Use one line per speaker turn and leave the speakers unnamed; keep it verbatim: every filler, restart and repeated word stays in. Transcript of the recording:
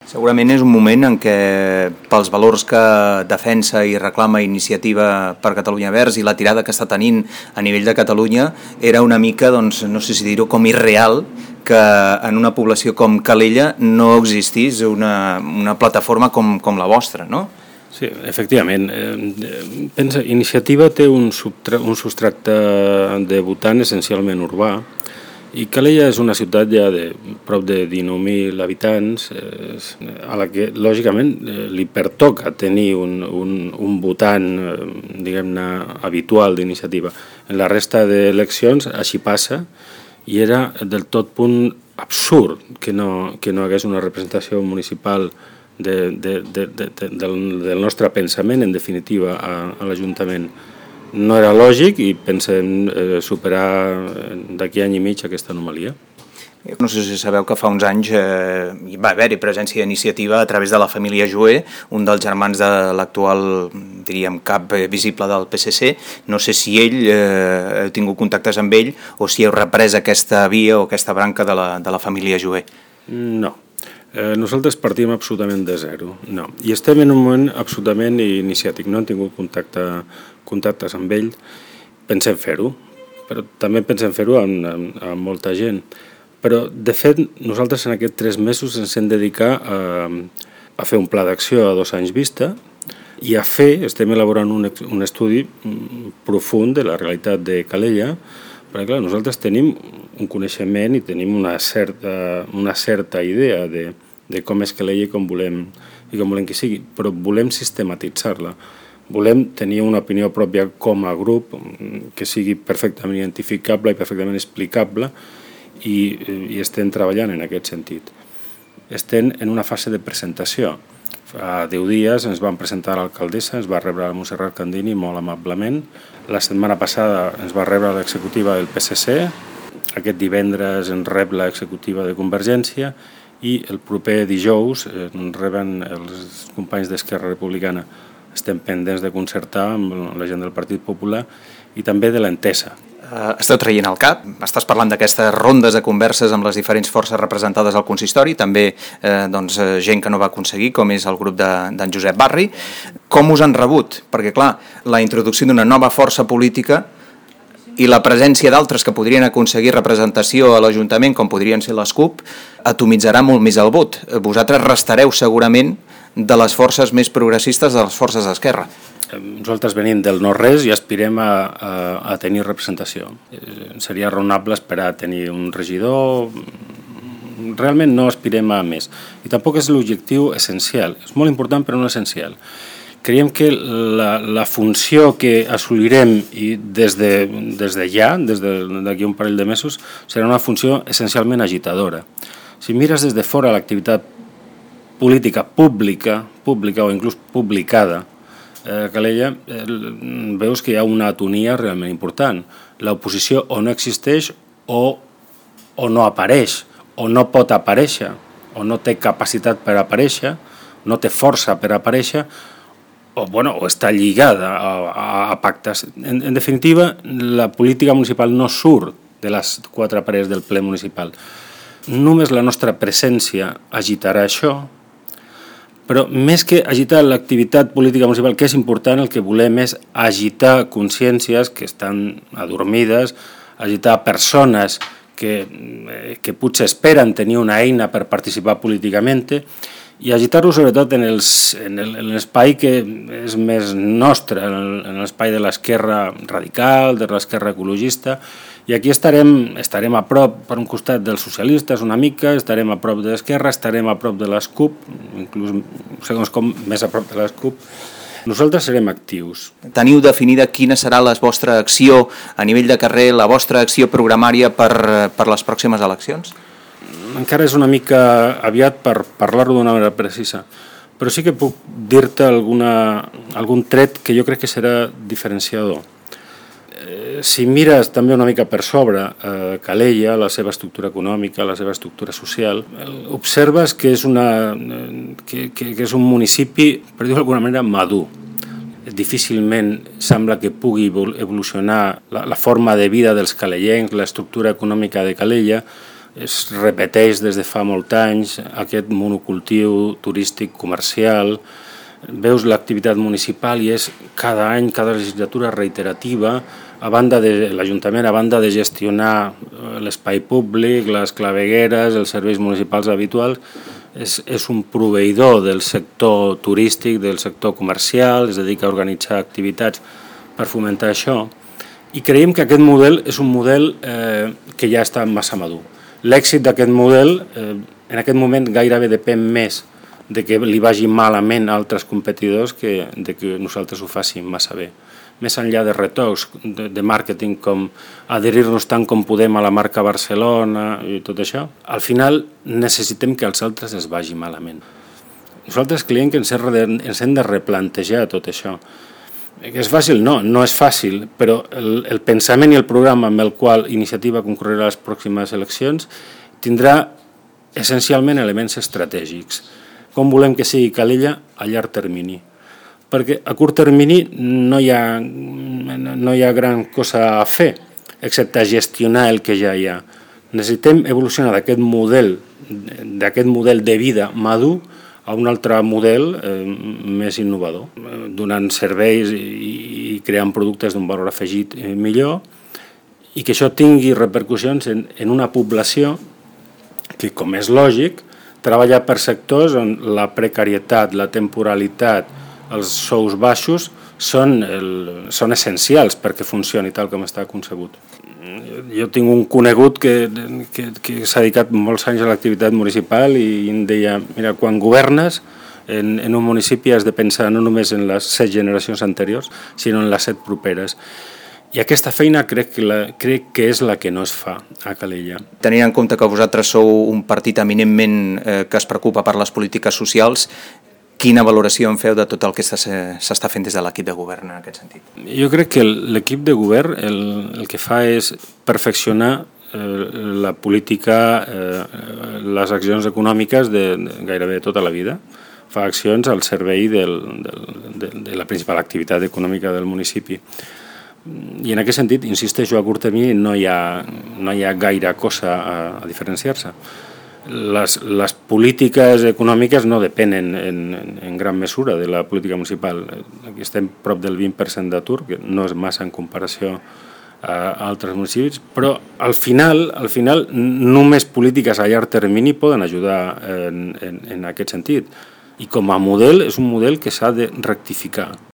Segurament és un moment en què, pels valors que defensa i reclama Iniciativa per Catalunya Verds i la tirada que està tenint a nivell de Catalunya, era una mica, doncs, no sé si dir-ho, com irreal que en una població com Calella no existís una, una plataforma com, com la vostra, no?
Sí, efectivament. Eh, pensa, Iniciativa té un, subtra- un substracte de votant essencialment urbà, i Calella és una ciutat ja de prop de dinou mil habitants, eh, a la que, lògicament, eh, li pertoca tenir un, un, un votant, eh, diguem-ne, habitual d'Iniciativa. En la resta d'eleccions així passa, i era del tot punt absurd que no, que no hagués una representació municipal de, de, de, de, de, del, del nostre pensament, en definitiva, a, a l'Ajuntament. No era lògic i pensem eh, superar d'aquí any i mig aquesta anomalia.
No sé si sabeu que fa uns anys eh, va haver-hi presència d'iniciativa a través de la família Joé, un dels germans de l'actual, diríem, cap visible del P S C. No sé si ell eh, heu tingut contactes amb ell o si heu reprès aquesta via o aquesta branca de la, de la família Joé.
No. Eh, nosaltres partim absolutament de zero. No. I estem en un moment absolutament iniciàtic. No hem tingut contacte, contactes amb ell. Pensem fer-ho, però també pensem fer-ho amb, amb, amb molta gent. Però, de fet, nosaltres en aquests tres mesos ens hem dedicat a, a fer un pla d'acció a dos anys vista i a fer, estem elaborant un, un estudi profund de la realitat de Calella, perquè clar, nosaltres tenim un coneixement i tenim una certa, una certa idea de, de com és Calella i com volem, i com volem que sigui, però volem sistematitzar-la. Volem tenir una opinió pròpia com a grup que sigui perfectament identificable i perfectament explicable, i, i estem treballant en aquest sentit. Estem en una fase de presentació. Fa deu dies ens van presentar a l'alcaldessa, ens va rebre la Montserrat Candini molt amablement. La setmana passada ens va rebre l'executiva del P S C, aquest divendres ens rep l'executiva de Convergència i el proper dijous ens reben els companys d'Esquerra Republicana. Estem pendents de concertar amb la gent del Partit Popular i també de l'Entesa.
Uh, esteu traient el cap, estàs parlant d'aquestes rondes de converses amb les diferents forces representades al consistori, també eh, doncs, gent que no va aconseguir, com és el grup d'en de, Josep Barri. Com us han rebut? Perquè, clar, la introducció d'una nova força política i la presència d'altres que podrien aconseguir representació a l'Ajuntament, com podrien ser les CUP, atomitzarà molt més el vot. Vosaltres restareu segurament de les forces més progressistes de les forces d'esquerra.
Nosaltres venim del no-res i aspirem a, a, a tenir representació. Eh, seria raonable esperar a tenir un regidor. Realment no aspirem a més. I tampoc és l'objectiu essencial. És molt important però no essencial. Creiem que la, la funció que assolirem i des de, des de ja, des d'aquí un parell de mesos, serà una funció essencialment agitadora. Si mires des de fora l'activitat política pública, pública o inclús publicada, a Calella, eh, veus que hi ha una atonia realment important. L'oposició o no existeix o, o no apareix, o no pot aparèixer, o no té capacitat per aparèixer, no té força per aparèixer, o, bueno, o està lligada a, a, a pactes. En, en definitiva, la política municipal no surt de les quatre parets del ple municipal. Només la nostra presència agitarà això, però més que agitar l'activitat política municipal, que és important, el que volem és agitar consciències que estan adormides, agitar persones que, que potser esperen tenir una eina per participar políticament i agitar-ho sobretot en, els, en, el, en l'espai que és més nostre, en l'espai de l'esquerra radical, de l'esquerra ecologista. I aquí estarem, estarem a prop, per un costat dels socialistes una mica, estarem a prop de l'esquerra, estarem a prop de les CUP, inclús, segons com, més a prop de les CUP. Nosaltres serem actius.
Teniu definida quina serà la vostra acció a nivell de carrer, la vostra acció programària per, per les pròximes eleccions?
Encara és una mica aviat per parlar-ho d'una manera precisa, però sí que puc dir-te alguna, algun tret que jo crec que serà diferenciador. Si mires també una mica per sobre eh, Calella, la seva estructura econòmica, la seva estructura social, observes que és, una, que, que, que és un municipi, per dir-ho d'alguna manera, madur. Difícilment sembla que pugui evolucionar la, la forma de vida dels calellencs, l'estructura econòmica de Calella, es repeteix des de fa molts anys aquest monocultiu turístic comercial. Veus l'activitat municipal i és cada any, cada legislatura reiterativa, a banda de l'Ajuntament, a banda de gestionar l'espai públic, les clavegueres, els serveis municipals habituals, és, és un proveïdor del sector turístic, del sector comercial, es dedica a organitzar activitats per fomentar això, i creiem que aquest model és un model eh, que ja està massa madur. L'èxit d'aquest model eh, en aquest moment gairebé depèn més de que li vagi malament a altres competidors que de que nosaltres ho fàssim massa bé. Més enllà de retocs de, de màrqueting com adherir-nos tant com podem a la marca Barcelona i tot això, al final necessitem que els altres es vagi malament. Nosaltres creiem que ens hem de replantejar tot això. És fàcil? No, no és fàcil, però el, el pensament i el programa amb el qual Iniciativa concorrerà a les pròximes eleccions tindrà essencialment elements estratègics. Com volem que sigui Calella a llarg termini? Perquè a curt termini no hi ha, no hi ha gran cosa a fer, excepte gestionar el que ja hi ha. Necessitem evolucionar d'aquest model, d'aquest model de vida madur a un altre model eh, més innovador, donant serveis i, i creant productes d'un valor afegit eh, millor, i que això tingui repercussions en, en una població que, com és lògic, treballa per sectors on la precarietat, la temporalitat, els sous baixos són, el, són essencials perquè funcioni tal com està concebut. Jo tinc un conegut que, que, que s'ha dedicat molts anys a l'activitat municipal i em deia, mira, quan governes en, en un municipi has de pensar no només en les set generacions anteriors, sinó en les set properes. I aquesta feina crec que, la, crec que és la que no es fa a Calella.
Tenint en compte que vosaltres sou un partit eminentment eh, que es preocupa per les polítiques socials, quina valoració en feu de tot el que s'està fent des de l'equip de govern en aquest sentit?
Jo crec que l'equip de govern el, el que fa és perfeccionar eh, la política, eh, les accions econòmiques de, de gairebé tota la vida. Fa accions al servei del, del, de, de la principal activitat econòmica del municipi. I en aquest sentit, insisteixo, a curt termini no hi ha, no hi ha gaire cosa a, a diferenciar-se. Les, les polítiques econòmiques no depenen en, en, en gran mesura de la política municipal. Aquí estem prop del vint per cent d'atur, que no és massa en comparació a altres municipis, però al final, al final només polítiques a llarg termini poden ajudar en, en, en aquest sentit. I com a model és un model que s'ha de rectificar.